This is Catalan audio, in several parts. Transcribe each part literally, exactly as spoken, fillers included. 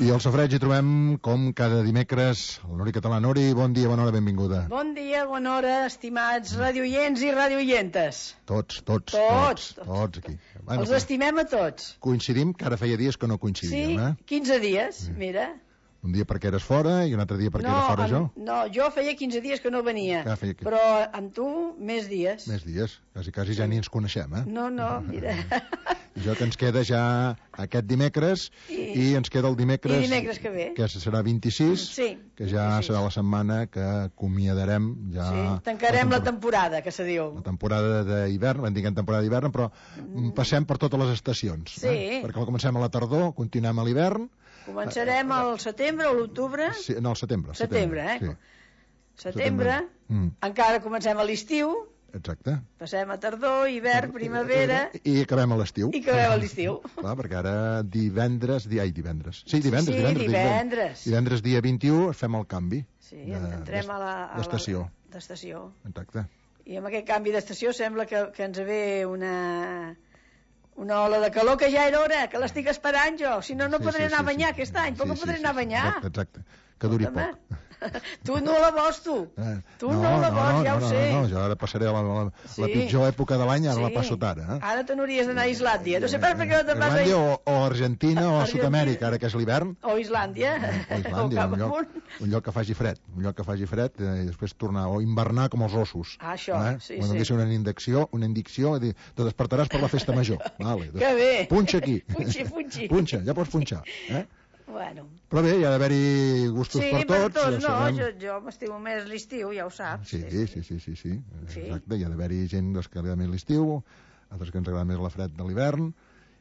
I al Safareig hi trobem, com cada dimecres, el Nori Català. Nori, bon dia, bona hora, benvinguda. Bon dia, bona hora, estimats radioients i radioientes. Tots, tots, tots, tots, tots aquí. Bueno, els estimem a tots. Coincidim, que ara feia dies que no coincidíem, sí, eh? quinze dies, sí. Mira. Un dia perquè eres fora i un altre dia perquè no, era fora amb, jo. No, jo feia quinze dies que no venia, ah, feia... però amb tu més dies. Més dies, quasi, quasi ja ni ens coneixem, eh? No, no, mira. Jo que ens queda ja aquest dimecres i, i ens queda el dimecres, I dimecres que ve, que serà vint-i-sis, sí, que ja vint-i-sis. Serà la setmana que acomiadarem ja... Sí, tancarem la temporada, la temporada, que se diu. La temporada d'hivern, en diguem temporada d'hivern, però mm. passem per totes les estacions. Sí. Eh? Perquè comencem a la tardor, continuem a l'hivern. Començarem al setembre o l'octubre? Sí, no, al setembre. Setembre, setembre eh? Sí. Setembre, mm. encara comencem a l'estiu. Exacte. Passem a tardor, hivern, primavera... I acabem a l'estiu. I acabem a l'estiu. Clar, perquè ara divendres... Di... Ai, divendres. Sí, divendres. Sí, divendres, divendres. Divendres dia vint-i-u fem el canvi. Sí, de, entrem a la... D'estació. D'estació. Exacte. I amb aquest canvi d'estació sembla que, que ens ve una... una ola de calor que ja era hora, que l'estic esperant jo, si no, no sí, podré sí, anar a banyar sí, aquest any, però sí, podré sí, anar a banyar. Exacte, exacte. Que duri Escolta, poc. Tu no la vols, tu. Eh, tu no, no la vols, no, ja no, ho no, sé. No, no, jo ara passaré la, la, sí. la pitjor època de l'any, ara sí. la passo tard. Eh? Ara te n'hauries d'anar a Islàndia. No sé per què no te'n vas a Islàndia o, o Argentina o a Sud-amèrica, ara que és l'hivern. O Islàndia. O Islàndia, un lloc, un lloc que faci fred. Un lloc que faci fred eh, i després tornar, o invernar com els ossos. Ah, això, eh? sí, Quan sí. Quan una indicció, una indicció, te despertaràs per la festa major. Vale, que bé. Punxa aquí. Punxi, punxi. Punxa, ja pots punxar. Eh? Bueno. Però bé, hi ha d'haver-hi gustos sí, per tots. Sí, per tots, ja no, sabem... jo, jo m'estimo més l'estiu, ja ho saps. Sí, sí, sí, sí, sí, sí. sí. Exacte, hi ha d'haver-hi gent doncs, que li agrada més l'estiu, altres que ens agrada més la fred de l'hivern.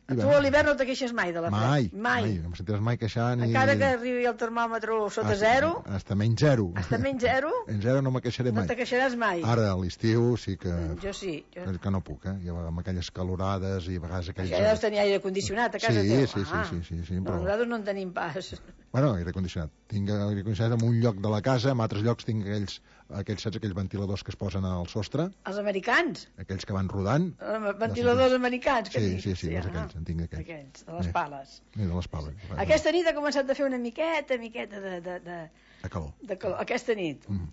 A tu a l'hivern no te queixes mai de la fred? Mai, mai. mai. No em sentiràs mai queixar ni... Encara que arribi el termòmetre sota hasta, zero? Hasta menys zero. Hasta menys zero? En zero no me queixaré mai. No te queixaràs mai? Ara, a l'estiu sí que... Jo sí. Jo... Que no puc, eh? Jo, amb aquelles calorades i a vegades aquells... Ja deus tenir aire condicionat a casa sí, teu. Sí, ah. sí, sí, sí, sí, no, però... nosaltres no en tenim pas. Bueno, aire condicionat. Tinc aire condicionat en un lloc de la casa, en altres llocs tinc aquells, aquells, saps, aquells ventiladors que es posen al sostre. Els americans? Aquells que van rodant. Els ventiladors americans, que sí, dic. sí, sí, sí, ah, aquells, en tinc aquells. Aquells, de les pales. Sí, de les pales. Aquesta nit ha començat a fer una miqueta, miqueta de... De, de, de calor. De calor. Aquesta nit. Mm.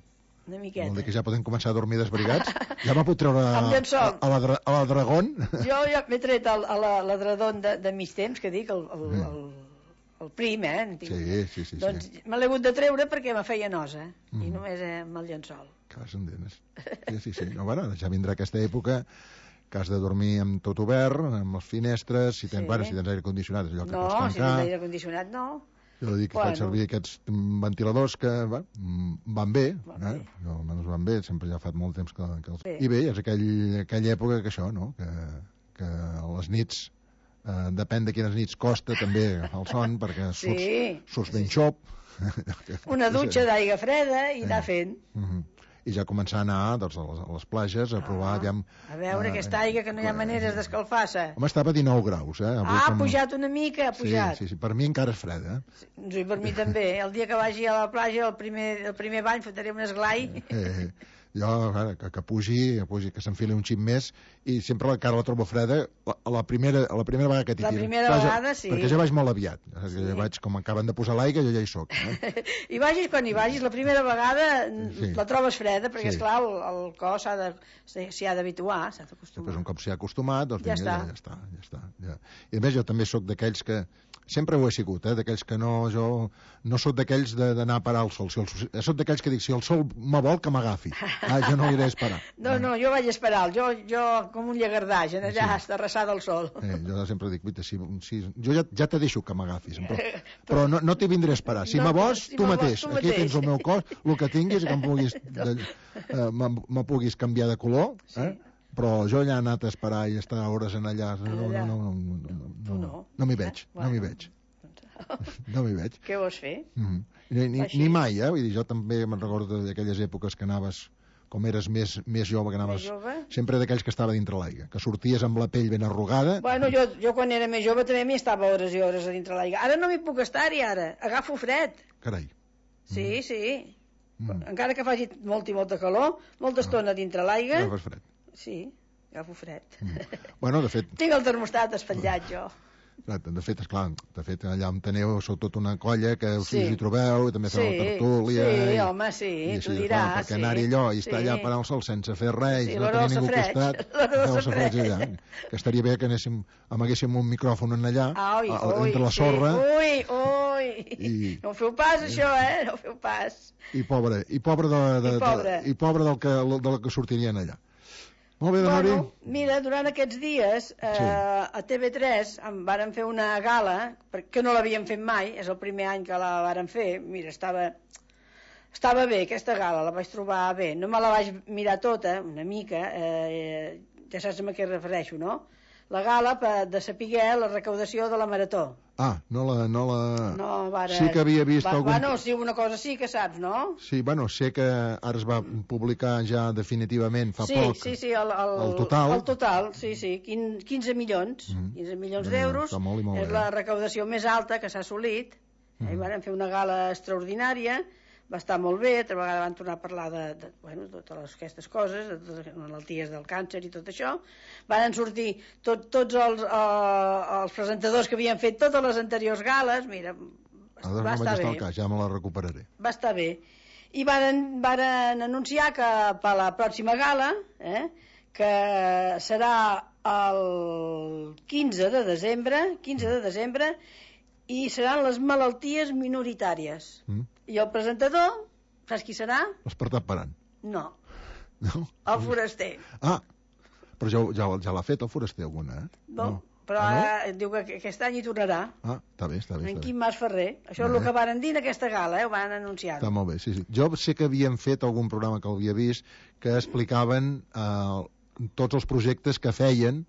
Una miqueta. Vol dir que ja podem començar a dormir desbrigats? Ja me pot treure a, a, a, la, a la Dragón? Jo ja m'he tret a, a la, la Dragón de, de mig temps, que dic, el, el, mm. el, el prim, eh? Sí, sí, sí. Doncs sí. me l'he hagut de treure perquè me feia nosa, mm. i només eh, amb el llençol. Que les endenes. Sí, sí, sí. No, bueno, ja vindrà aquesta època que has de dormir amb tot obert, amb les finestres, si tens, sí. bueno, si tens aire condicionat, és allò que no, pots tancar. No, si tens aire condicionat, no. Jo dic que bueno. faig servir aquests ventiladors que va, van bé, van eh? bé. Jo, almenys van bé, sempre ja fa molt temps que, que els... Bé. I bé, és aquell, aquella època que això, no? Que, que a les nits, eh, depèn de quines nits costa també el son, perquè sí. surts, surts ben xop. Una dutxa d'aigua freda i anar fent. Uh -huh. I ja començar a anar doncs, a, les, a les plages a provar... Ah, aviam, a veure uh, aquesta aigua que no hi ha maneres d'escalfar-se. Home, estava a dinou graus, eh? Avui, ah, ha com... pujat una mica, ha pujat. Sí, sí, sí, per mi encara és freda. Eh? Sí, per mi també. El dia que vagi a la platja, el primer, el primer bany, fotré un esglai. Eh, eh. Jo, que, que pugi, que, pugi, que s'enfili un xip més, i sempre la cara la trobo freda a la primera, a la primera vegada que t'hi tiro. La primera Clar, vegada, jo, sí. Perquè ja vaig molt aviat. Sí. Ja vaig, com acaben de posar l'aigua, jo ja hi soc. Eh? I vagis quan hi vagis, la primera vegada sí. la trobes freda, perquè, sí. esclar, el, el cos s'ha de, s'hi ha d'habituar, s'ha d'acostumar. Després, un cop s'hi ha acostumat, doncs ja, vinga, està. Ja, ja està. Ja està ja. I a més, jo també sóc d'aquells que... Sempre ho he sigut, eh? D'aquells que no... Jo no sóc d'aquells d'anar a parar al sol. Si el, sóc d'aquells que dic, si el sol me vol, que m'agafi. Ah, jo no iré a esperar. No, no, jo vaig esperar. Jo, jo com un llegardaix, en allà, sí. Estarrassar del sol. Eh, jo sempre dic, vita, si, si, jo ja, ja te deixo que m'agafis, però, però no, no t'hi vindré a esperar. Si no, me vols, si tu, mateix. Tu mateix. Aquí tens el meu cos, el que tinguis, que em puguis, de, eh, me puguis canviar de color, eh? Sí. Però jo ja he anat a esperar i estar hores en allà. No, no, no, no, no, no, no, no m'hi veig, no m'hi veig. No m'hi veig. Què vols fer? Mm-hmm. Ni, ni, ni mai, eh? Vull dir, jo també me'n recordo d'aquelles èpoques que anaves, com eres més, més jove, que anaves jove? Sempre d'aquells que estava dintre l'aigua, que sorties amb la pell ben arrugada. Bueno, jo, jo quan era més jove també m'hi estava hores i hores a dintre l'aigua. Ara no m'hi puc estar-hi, ara. Agafo fred. Carai. Sí, mm. sí. Mm. Encara que faci molt i molta calor, molta estona dintre l'aigua... Agafes fred. Sí, agafo fred. Mm. Bueno, de fet... Tinc el termostat espatllat, jo. De fet, esclar, de fet, allà on teniu sou tota una colla que us hi trobeu i també feu la tertúlia. Sí, home, sí, tu diràs. Perquè anar-hi allò i estar allà parant el sol sense fer res, no tenir ningú al costat, feu el safreig allà. Que estaria bé que anéssim, amiguéssim un micròfon allà, entre la sorra. Ui, ui, no ho feu pas, això, eh? No ho feu pas. I pobre, i pobre del que sortirien allà. Molt bé, bueno, mira, durant aquests dies eh, sí. a T V tres em varen fer una gala, que no l'havíem fet mai, és el primer any que la varen fer. Mira, estava, estava bé aquesta gala, la vaig trobar bé. No me la vaig mirar tota, una mica, eh, ja saps a què refereixo, no? La gala per de saber la recaudació de la Marató. Ah, no la... No, la... no vara... Sí que havia vist va, algun... Bueno, sí, una cosa sí que saps, no? Sí, bueno, sé que ara es va publicar ja definitivament fa sí, poc sí, sí, el, el, el total. El total, sí, sí, quinze milions, mm. quinze milions d'euros, molt molt és bé. La recaudació més alta que s'ha assolit. Mm. Hi van fer una gala extraordinària, va estar molt bé, altra vegada van tornar a parlar de, de, bueno, de totes aquestes coses, de les malalties del càncer i tot això. Van sortir tot, tots els, uh, els presentadors que havien fet totes les anteriors gales, mira, Ara va no estar bé. Cas, ja me la recuperaré. Va estar bé. I van, van anunciar que per la pròxima gala, eh, que serà el quinze de desembre, quinze de desembre, i seran les malalties minoritàries. Mm. I el presentador, saps qui serà? L'Espartat Paran. No. No? El Foraster. Ah, però ja, ja, ja l'ha fet el Foraster alguna, eh? No, no. però ah, no? Diu que aquest any hi tornarà. Ah, està bé, està bé. En està Quim bé. Mas Ferrer. Això és el que varen dir en aquesta gala, eh? Ho van anunciar. Està molt bé, sí, sí. Jo sé que havien fet algun programa que l'havia vist que explicaven eh, tots els projectes que feien.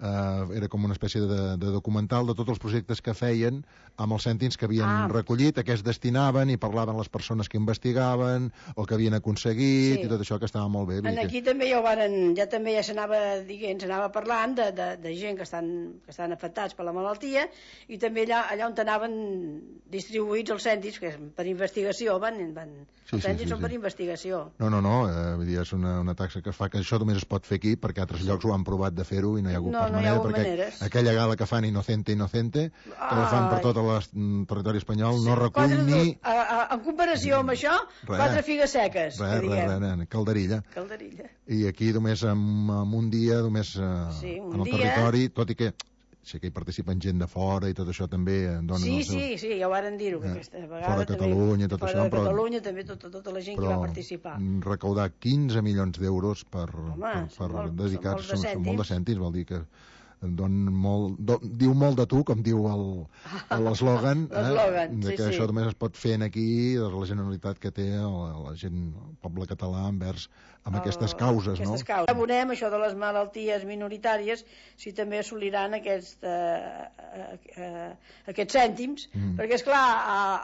Uh, era com una espècie de, de documental de tots els projectes que feien amb els cèntims que havien ah. recollit, a què es destinaven i parlaven les persones que investigaven o que havien aconseguit sí. i tot això que estava molt bé. En aquí que... també ja ho varen, ja també ja s'anava dient, s'anava parlant de, de, de gent que estan, que estan afectats per la malaltia i també allà, allà on anaven distribuïts els cèntims, que és per investigació, van, van, sí, els cèntims sí, sí, són sí. per investigació. No, no, no, eh, vull dir, és una, una taxa que es fa que això només es pot fer aquí perquè altres llocs ho han provat de fer-ho i no hi ha hagut no, no manera, perquè maneres. Aquella gala que fan Inocente, Inocente, que ah, la fan per tot el territori espanyol, sí, no recull quatre, ni... A, a, en comparació amb això, re, quatre figues seques, re, que diguem. Res, res, calderilla. Calderilla. I aquí només en, en un dia, només eh, sí, un en el dia... territori, tot i que sé que hi participen gent de fora i tot això també donen sí, el seu... sí, sí, ja ho varen dir-ho, eh, aquesta vegada fora de Catalunya, també, tot fora això, de Catalunya, però, també tota, tota la gent que va participar. Recaudar quinze milions d'euros per, Home, per, per molt, dedicar-se, són, són, són molt de cèntims, vol dir que don molt, don, diu molt de tu, com diu l'eslògan, eh, de sí, que sí. això només es pot fer en aquí, de la generalitat que té la, la gent, el poble català envers amb el, aquestes causes, aquestes no? Causes. Abonem això de les malalties minoritàries si també assoliran aquest, eh, eh, aquests cèntims, mm. perquè esclar,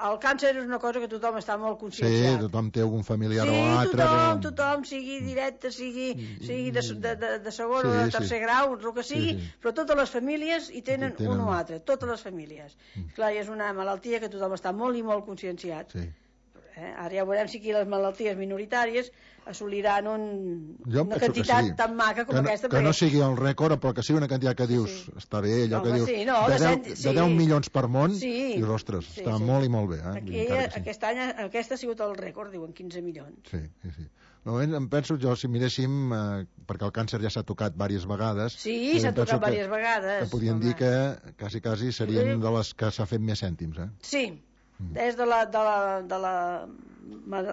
el càncer és una cosa que tothom està molt conscienciat. Sí, tothom té algun familiar sí, o altre. Sí, tothom, tothom, sigui directe, sigui, sigui de, de, de, de segon sí, o de tercer sí. grau, el que sigui, sí, sí. però totes les famílies hi tenen, tenen un o altre, totes les famílies. Mm. Clar, és una malaltia que tothom està molt i molt conscienciat. Sí. Eh? Ara ja veurem si aquí les malalties minoritàries assoliran un, una quantitat sí. tan maca com que no, aquesta. Que perquè... no sigui el rècord, però que sigui una quantitat que dius, sí. està bé, allò no, que dius, sí, no, de, de, deu, cent... de deu milions per món, sí. i ostres, sí, està sí. molt i molt bé. Eh? Aquí, sí. Aquest any, aquest ha sigut el rècord, diuen quinze milions. Sí, sí, sí. No, em penso jo, si miréssim, eh, perquè el càncer ja s'ha tocat diverses vegades... Sí, s'ha tocat diverses vegades. Que podríem home. dir que, quasi, quasi, serien sí. de les que s'ha fet més cèntims, eh? Sí, mm. des de la, de la, de la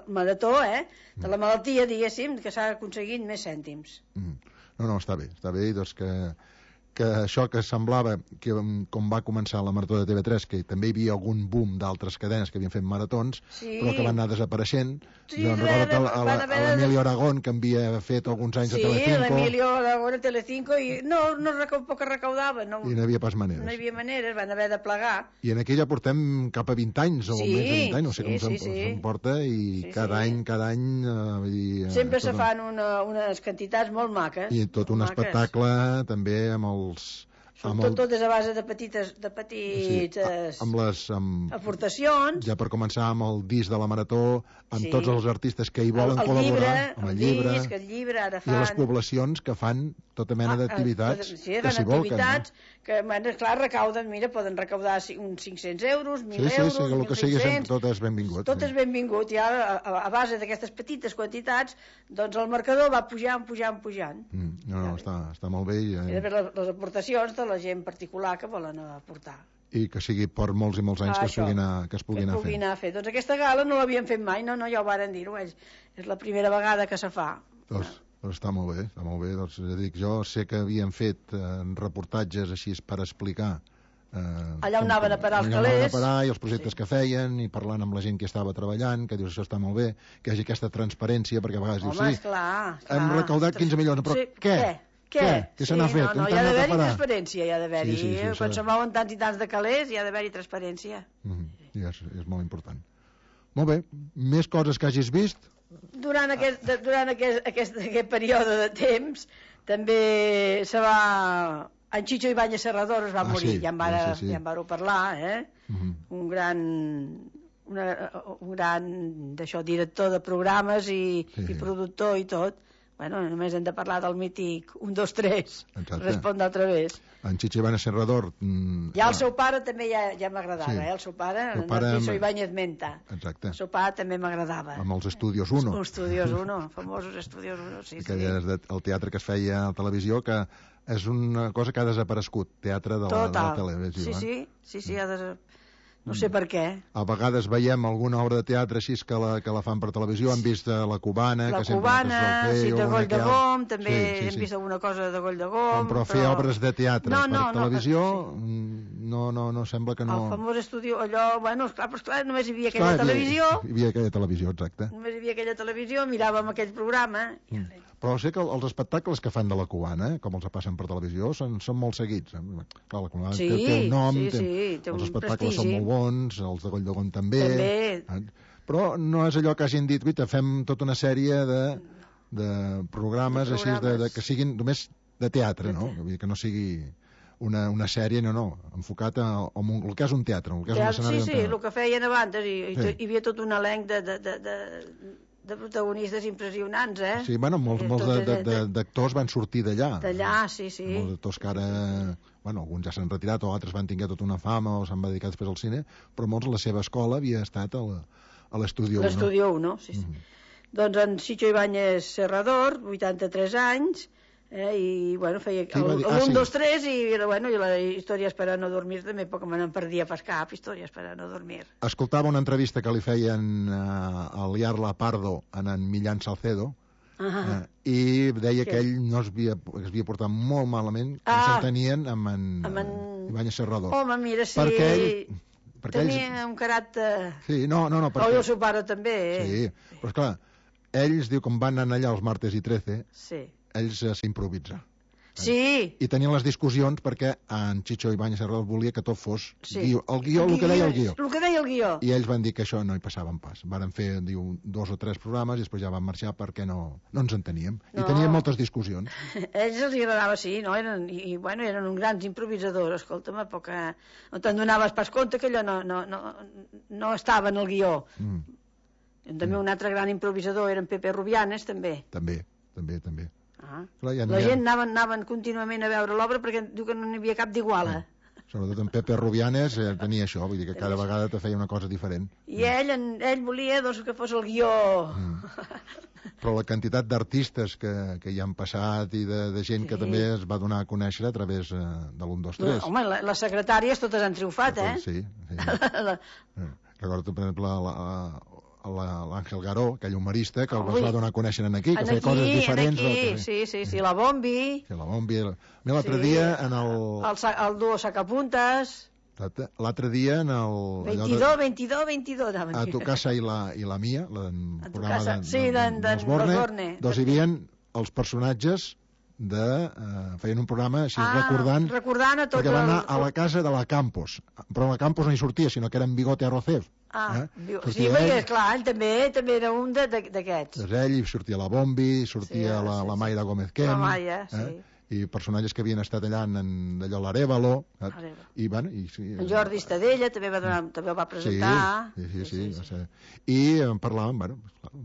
marató, eh? De la malaltia, diguéssim, que s'ha aconseguit més cèntims. Mm. No, no, està bé, està bé, doncs que... que això que semblava que com va començar la marató de T V tres, que també hi havia algun boom d'altres cadenes que havien fet maratons, sí. però que van anar desapareixent. Sí, jo recordo a l'Emilio Aragón, que havia fet alguns anys sí, a Telecinco. Sí, l'Emilio Aragón a Telecinco, i no, no poc que recaudava. No, I no hi havia pas maneres. No hi havia maneres, van haver de plegar. I en aquella portem cap a vint anys, o sí, més de vint anys, no sé com sí, se'n sí. porta, i sí, cada sí. any, cada any... Eh, i, sempre se fan una, unes quantitats molt maques. I tot un maques. espectacle, també, amb el Són tot, totes a base de petites, de petites amb les, amb, aportacions. Ja per començar amb el disc de la Marató, amb sí. tots els artistes que hi volen el, el col·laborar, llibre, amb el, el llibre, disc, el llibre ara fan... i les poblacions que fan tota mena ah, d'activitats sí, que s'hi volquen. Activitats no? que, bueno, clar, recauden, mira, poden recaudar uns cinc-cents euros, mil sí, sí, euros, sí, el que sigui, tot és benvingut. Tot sí. és benvingut, i ara, a, a base d'aquestes petites quantitats, doncs el marcador va pujant, pujant, pujant. Mm, no, no, està, està molt bé. I, eh... I després les, les aportacions de la gent particular que volen aportar. I que sigui per molts i molts anys ah, que, es puguin a, que es puguin que anar fent. Anar fer. Doncs aquesta gala no l'havien fet mai, no, no, ja ho varen dir-ho ells. És la primera vegada que se fa. Doncs, doncs està molt bé, està molt bé. Doncs, dic, jo sé que havien fet eh, reportatges així per explicar eh, allà on anaven a parar els calés. Allà on anaven a parar i els projectes sí. que feien, i parlant amb la gent que estava treballant, que dius, això està molt bé, que hi hagi aquesta transparència, perquè a vegades Home, dius, sí, esclar, esclar. hem recaudat quinze milions, però sí, què? Què? Què? Què se n'ha sí, fet? No, no, hi ha d'haver-hi transparència, hi ha d'haver-hi. Sí, sí, sí, Quan sí. se mouen tants i tants de calés, hi ha d'haver-hi transparència. Mm-hmm. I és, és molt important. Molt bé, més coses que hagis vist? Durant aquest, durant aquest, aquest, aquest període de temps, també se va... En Chicho Ibáñez Serrador es va ah, morir, sí, ja en vàreu sí, sí. ja en vàreu parlar, eh? Mm-hmm. Un gran... Una, un gran d'això, director de programes i, sí. i productor i tot. Bueno, només hem de parlar del mític un, dos, tres, respon d'altra vegada. En Chicho Ibáñez Serrador... Mm, ja el seu pare també ja, ja m'agradava, sí. eh? El seu pare, el Narciso amb... Ibáñez Menta. Exacte. El seu pare també m'agradava. Amb els Estudios uno. Els Estudios uno, famosos Estudios uno, sí, que sí. És el teatre que es feia a la televisió, que és una cosa que ha desaparegut, teatre de la, de la televisió. Sí, sí, sí, sí, ha desaparegut. No sé per què. A vegades veiem alguna obra de teatre així que la, que la fan per televisió, hem vist la Cubana, la que sempre Cubana, fer, sí, de Goll de Gom, també sí, sí, hem sí. vist alguna cosa de Goll de Gom. Però fer però... obres de teatre no, no, per televisió, no, sí. no, no, no sembla que no... El famós estudi, allò, bueno, esclar, però esclar, només hi havia aquella esclar, televisió. Hi havia aquella televisió, exacte. Només hi havia aquella televisió, miràvem aquell programa... Mm. Però sé que els espectacles que fan de la Cubana, eh, com els passen per televisió, són, són molt seguits. Clar, la Cubana sí, té, té un nom, sí, té, sí, té els un espectacles prestigi. Són molt bons, els de Goll de Gom també. També. Però no és allò que hagin dit, guita, fem tota una sèrie de, de programes, de programes. Així, de, de, que siguin només de teatre, no? Vull dir, que no sigui una, una sèrie, no, no, enfocat a, a un, el que és un teatre, el que és un escenari. Sí, sí, el que feien abans, i, sí. hi havia tot un elenc de... de, de, de de protagonistes impressionants, eh? Sí, bueno, molts, molts d'actors van sortir d'allà. D'allà, sí, sí. Molts d'actors que ara... Bueno, alguns ja s'han retirat o altres van tinguer tota una fama o s'han dedicat després al cine, però molts la seva escola havia estat a l'Estudio uno. L'Estudio uno, sí, sí. Mm-hmm. Doncs en Chicho Ibáñez Serrador, vuitanta-tres anys, eh, i, bueno, feia el un, dos, tres, i, bueno, i la Històries per a no dormir, també poc me n'en perdia pas cap, Històries per a no dormir. Escoltava una entrevista que li feien uh, a Liarla Pardo en en Millán Salcedo, uh -huh. uh, i deia que, que ell no es havia, es havia portat molt malament, que ah, s'entenien amb en, amb en Ibáñez Serrador. Home, mira, sí... Perquè ell, perquè tenia ells... un caràcter... Sí, no, no, no. Perquè... Oh, el seu pare també, eh? Sí, però esclar, ells, diu, com van anar allà els martes i trece, sí. ells uh, s'improvitzen. Sí. I tenien les discussions perquè en Chicho Ibáñez Serrador volia que tot fos sí. guió. El guió, el, el que deia el guió. El que deia el guió. I ells van dir que això no hi passaven pas. Varen fer, diu, dos o tres programes i després ja van marxar perquè no, no ens enteníem. No. I teníem moltes discussions. A ells els agradava, sí, no? Eren, i, i, bueno, eren uns grans improvisadors, escolta'm, a poc... No te'n donaves pas compte que allò no, no, no, no estava en el guió. Mm. També mm. un altre gran improvisador era en Pepe Rubianes, també. També, també, també. Ah. Clar, ja la gent anaven, anaven contínuament a veure l'obra perquè diu que no n'hi havia cap d'iguala. Ah. Sobretot en Pepe Rubianes eh, tenia això, vull dir que cada vegada te feia una cosa diferent. I mm. ell, en, ell volia doncs, que fos el guió. Mm. Però la quantitat d'artistes que, que hi han passat i de, de gent sí. que també es va donar a conèixer a través eh, de l'un, dos, tres. No, home, la, les secretàries totes han triomfat, eh? Sí, sí. la... Recordo, per exemple, la... la l'Àngel Garó, aquell humorista que els va donar a conèixer aquí, que en feia aquí, coses diferents. Aquí, que... sí, sí, sí, la Bombi. Sí, la Bombi. L'altre sí. dia en el... El, el duo Sacapuntes. L'altre dia en el... veintidós, veintidós, veintidós. A tu casa i la, i la mia, el programa de, sí, de, de, d'Osborne, doncs hi havia els personatges de... Uh, feien un programa així ah, recordant... recordant a tots perquè van anar el... a la casa de la Campos, però la Campos no hi sortia, sinó que era en Bigote Arrocef. Ah, eh? Sí, perquè, esclar, ell també, també era un d'aquests. Doncs ell, sortia la Bombi, sortia sí, la, sí, la Mayra Gómez Kem. La Maia, sí. Eh? i personatges que havien estat allà en d'allò l'Arèvalo, i bueno, i sí, en Jordi Estadella també va donar, també el va presentar. Sí, sí, sí, sí, sí. I en parlaven, bueno,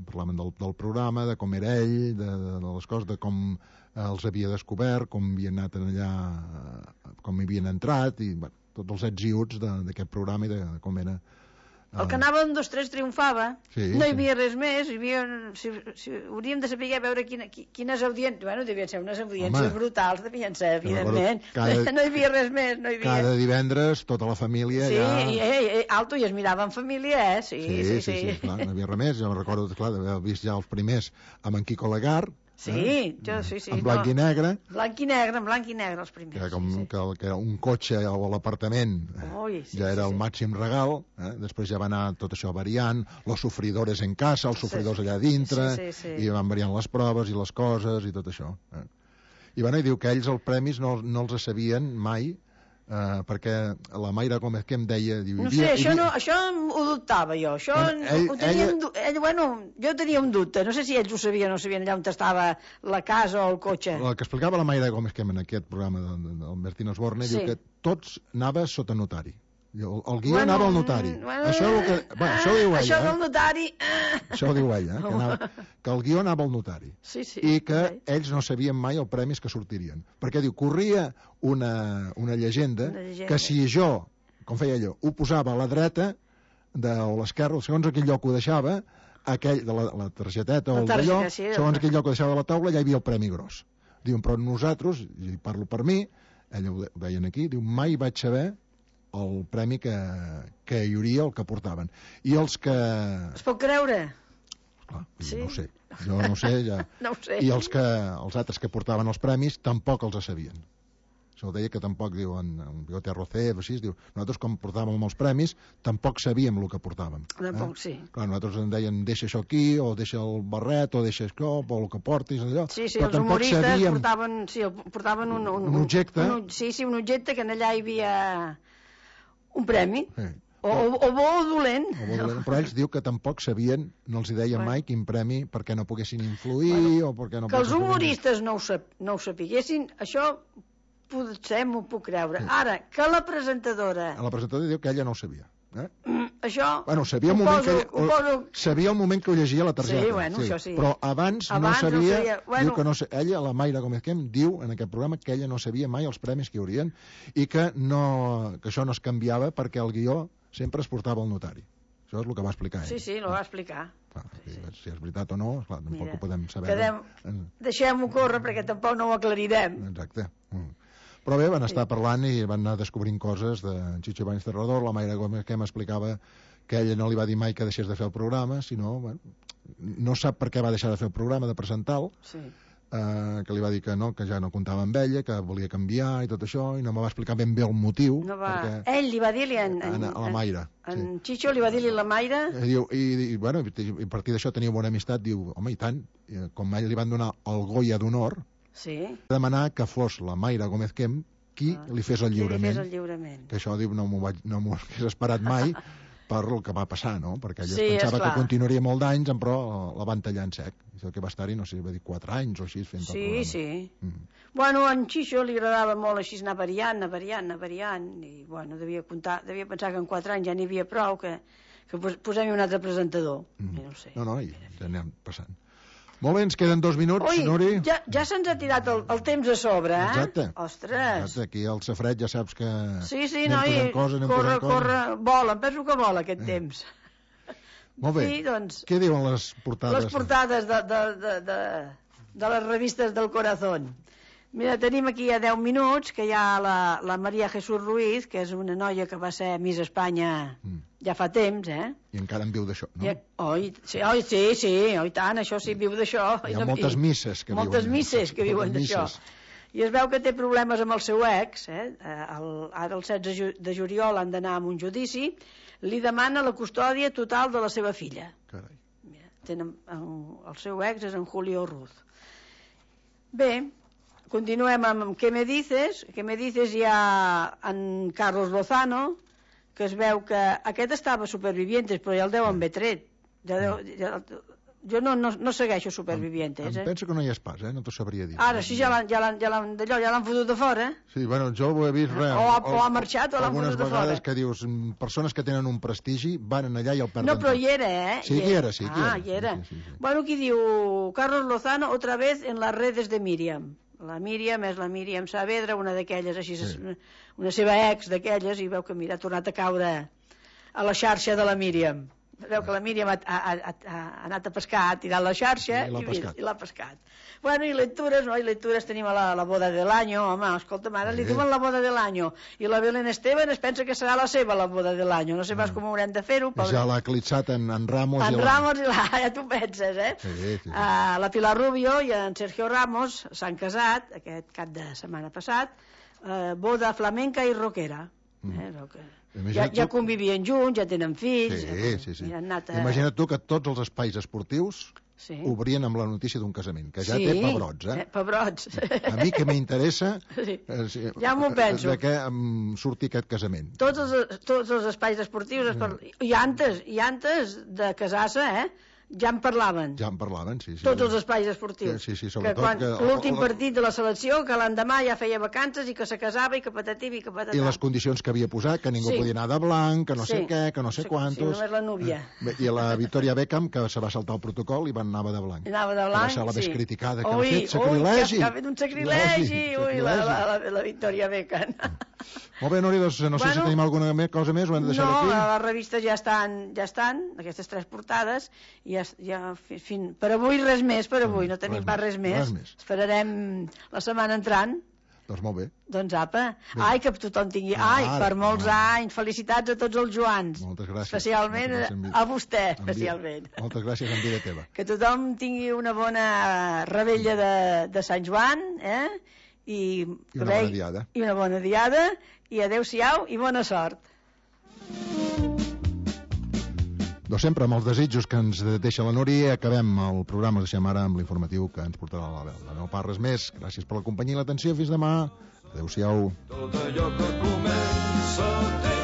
parlaven del, del programa, de com era ell, de, de les coses, de com els havia descobert, com havien anat allà, com hi havien entrat, i bueno, tots els ets i uts d'aquest programa i de com era. El que anava en dos tres triomfava, sí, no hi havia sí. res més, hi havia, si, si, hauríem de saber veure quina, quines audiències, bueno, devien ser unes audiències Home, brutals, devien ser, evidentment, cada, no hi havia res més, no hi havia... Cada divendres, tota la família sí, ja... Sí, i, i, alto, i es mirava en família, eh? Sí, sí, sí, sí, sí, sí, clar, no hi havia res més, jo recordo, clar, d'haver vist ja els primers amb en Quico Lagar, sí, eh? jo, sí, sí. En blanc no. i negre. Blanc i negre, en blanc i negre, els primers. Que, com, sí, sí. que, que un cotxe a l'apartament Ui, sí, ja era sí, el sí. màxim regal, eh? Després ja va anar tot això variant, los sofridores en casa, els sofridors allà dintre, sí, sí, sí. i van variant les proves i les coses i tot això. Eh? I, bueno, i diu que ells els premis no, no els sabien mai, Uh, perquè la Mayra Gómez que em deia... Diu, no sé, havia, això, havia... no, això ho dubtava jo. Això ell, ho tenia ella... ell, bueno, jo tenia un dubte. No sé si ells ho sabien o no sabien allà on estava la casa o el cotxe. El que explicava la Mayra Gómez que en aquest programa del Bertín Osborne, sí. Diu que tots anava sota notari. El, el guió bueno, anava al notari. Bueno, això, és el que, bueno, això ho diu ella. Això eh? del notari... Això ho diu ella, eh? que, anava, que el guió anava al notari. Sí, sí, I que sí. Ells no sabien mai els premis que sortirien. Perquè, diu, corria una, una, llegenda, una llegenda que si jo, com feia allò, ho posava a la dreta de, o a l'esquerra, segons a quin lloc ho deixava, aquell, de la, la targeteta o el d'allò, sí, segons a quin lloc ho deixava a la taula, ja hi havia el premi gros. Diuen, però nosaltres, i parlo per mi, ella ho deien aquí, diu, mai vaig saber el premi que, que hi hauria, el que portaven. I els que... Es pot creure? Clar, sí? No ho sé. Jo no ho sé, ja... no ho sé. I els, que, els altres que portaven els premis tampoc els sabien. Això deia que tampoc, diuen, en Bigote Arrocer, així, diu, nosaltres com portàvem els premis, tampoc sabíem el que portàvem. Tampoc, eh? Sí. Clar, nosaltres en deien, deixa això aquí, o deixa el barret, o deixa això, o el que portis, allò. Sí, sí, els humoristes sabíem... portaven, sí, portaven un, un, un objecte. Un, sí, sí, un objecte que en allà hi havia un premi. Sí. O, o, o bo o dolent. O bo dolent. Però ells diu que tampoc sabien, no els hi deia bueno. mai quin premi perquè no poguessin influir bueno, o perquè no... Que els humoristes no ho, sap, no ho sapiguessin, això potser m'ho puc creure. Sí. Ara, que la presentadora... La presentadora diu que ella no ho sabia. Eh? Mm, això... Bueno, sabia el, moment poso, que, o, poso... sabia el moment que ho llegia la targeta. Sí, bueno, sí. Això sí. Però abans, abans no sabia... No sabia. Bueno... Diu que no, ella, la Mayra Gómez Quem, diu en aquest programa que ella no sabia mai els premis que hi haurien i que, no, que això no es canviava perquè el guió sempre es portava al notari. Això és el que va explicar ell. Sí, sí, ho va explicar. Clar, sí, sí. Si és veritat o no, esclar, tampoc Mira, ho podem saber. Quedem... Deixem-ho córrer perquè tampoc no ho aclarirem. Exacte. Mm. Però bé, van estar sí. parlant i van anar descobrint coses de Chicho Ibáñez Terrador. La Mayra Gómez que m'explicava que ella no li va dir mai que deixés de fer el programa, sinó, bueno, no sap per què va deixar de fer el programa, de presentar-lo, sí. eh, que li va dir que no, que ja no comptava amb ella, que volia canviar i tot això, i no me va explicar ben bé el motiu. No va... perquè... Ell li va dir-li en, en, a la Mayra. En, en sí. Chicho li va dir-li la Mayra... I, diu, i, i, bueno, i a partir d'això tenia bona amistat, diu, home, i tant, com a ell li van donar el Goya d'honor, sí. demanar que fos la Mayra Gómez Quem qui ah, li fes el lliurament. Li fes el lliurament. Que això, diu, no m'ho no hagués esperat mai per el que va passar, no? Perquè ella sí, pensava que continuaria molt d'anys, però la van tallar en sec. Això que va estar-hi, no sé, va dir quatre anys o així fent sí, el programa. Sí, sí. Mm. Bueno, a en Chicho li agradava molt així anar variant, anar variant, anar variant, i bueno, devia, comptar, devia pensar que en quatre anys ja n'hi havia prou, que, que posem un altre presentador. Mm. I no ho sé. No, no, i ja anem passant. Molt bé, ens queden dos minuts, Ui, Nuri. Ja, ja se'ns ha tirat el, el temps a sobre, eh? Exacte. Ostres. Exacte, aquí al safret ja saps que sí, sí, anem no, posant coses, anem corre, posant corre, coses. vola, em penso que vola aquest eh. temps. Molt bé. Sí, doncs, què diuen les portades? Les portades de, de, de, de, de les revistes del Corazón. Mira, tenim aquí a deu minuts que hi ha la, la Maria Jesús Ruiz, que és una noia que va ser Miss Espanya mm. ja fa temps, eh? I encara en viu d'això, no? I, oi, sí, oi, sí, sí, oi tant, això sí, viu d'això. Hi ha moltes misses que moltes viuen. Moltes misses que viuen d'això. I es veu que té problemes amb el seu ex, eh? El, ara el setze de juliol han d'anar a un judici, li demana la custòdia total de la seva filla. Carai. Mira, tenen, el seu ex és en Julio Ruz. Bé, continuem amb Què me dices? Què me dices hi ha en Carlos Lozano, que es veu que aquest estava Supervivientes, però ja el deuen haver tret. Ja deu, ja, Jo no, no, no segueixo Supervivientes, em, em eh? penso que no hi és pas, eh? No t'ho sabria dir. Ara sí, ja l'han ja l'han ja l'han d'allò, ja l'han fotut de fora. Sí, bueno, jo ho he vist res. O, ha- o ha marxat o l'han algunes fotut de fora. vegades que dius, mm, persones que tenen un prestigi van allà i el perden No, però tot. hi era, eh? Sí, que hi era, sí, que hi Ah, era. hi era. Sí, sí, sí. Bueno, aquí diu Carlos Lozano, otra vez en las redes de Míriam. La Míriam és la Míriam Saavedra, una d'aquelles, així, Sí. una seva ex d'aquelles, i veu que, mira, ha tornat a caure a la xarxa de la Míriam. Veu que la Míriam ha, ha, ha, ha anat a pescar, ha tirat la xarxa I l'ha i, pescat. i l'ha pescat. Bueno, i lectures, no? I lectures tenim a la, la boda de l'any, home, escolta'm, ara li Sí. diuen la boda de l'any, i la Belén Esteban es pensa que serà la seva la boda de l'any, no sé pas com haurem de fer-ho. I ja l'ha eclipsat en, en Ramos. En i la... Ramos, i la, ja tu penses, eh? Sí, sí, sí. Uh, la Pilar Rubio i en Sergio Ramos s'han casat aquest cap de setmana passat, uh, boda flamenca i rockera. Mm. Eh, rock. Ja, Imagina't ja tu- convivien junts, ja tenen fills. Sí, sí, sí. I han anat a... Imagina't tu que tots els espais esportius Sí. obrien amb la notícia d'un casament, que ja Sí, té pebrots, eh? eh, pebrots. A mi que m'interessa Sí. eh, sí, Ja m'ho penso. de què em surti aquest casament. Tots els, tots els espais esportius es Mm. parl... i antes, i antes de casar-se, eh, ja en parlaven. Ja en parlaven, sí. sí Tots els espais esportius. Sí, sí, que sobretot quan que- l'últim o- o- partit de la selecció, que l'endemà ja feia vacances i que se casava i que patatim i que patatà. I les condicions que havia posat, que ningú Sí. podia anar de blanc, que no sé Sí. què, que no sé Sí, quantos... sí, només la núvia. Bé, I la Victoria Beckham, que se va saltar el protocol i va anava de blanc. Anava de Que blanc, va ser la més sí. criticada, que Ui, ha fet ui, sacrilegi. que ha fet un sacrilegi, ui, la, la, la, la Victoria Beckham. Molt bé, Nori, doncs no sé Bueno, si tenim alguna me- cosa més, ho hem de deixar No, aquí. les revistes ja estan, ja estan, aquestes tres portades, i ja, ja fi- fin, per avui res més, per avui, no tenim Res pas més, res més. res més. Esperarem la setmana entrant. Doncs molt bé. Doncs apa, Bé. ai, que tothom tingui, Ah, ai, ara, per molts ah. anys, felicitats a tots els Joans. Moltes gràcies. Especialment Moltes gràcies, en vida. a vostè, En vida. especialment. Moltes gràcies en vida teva. Que tothom tingui una bona rebella de, de Sant Joan, eh? I, I una bona diada. I una bona diada, i adeu-siau i bona sort. Doncs sempre amb els desitjos que ens deixa la Núria, acabem el programa, deixem ara amb l'informatiu que ens portarà la Belda. No pas res més, gràcies per la companyia i l'atenció, fins demà, adeu-siau. Tot allò que comença té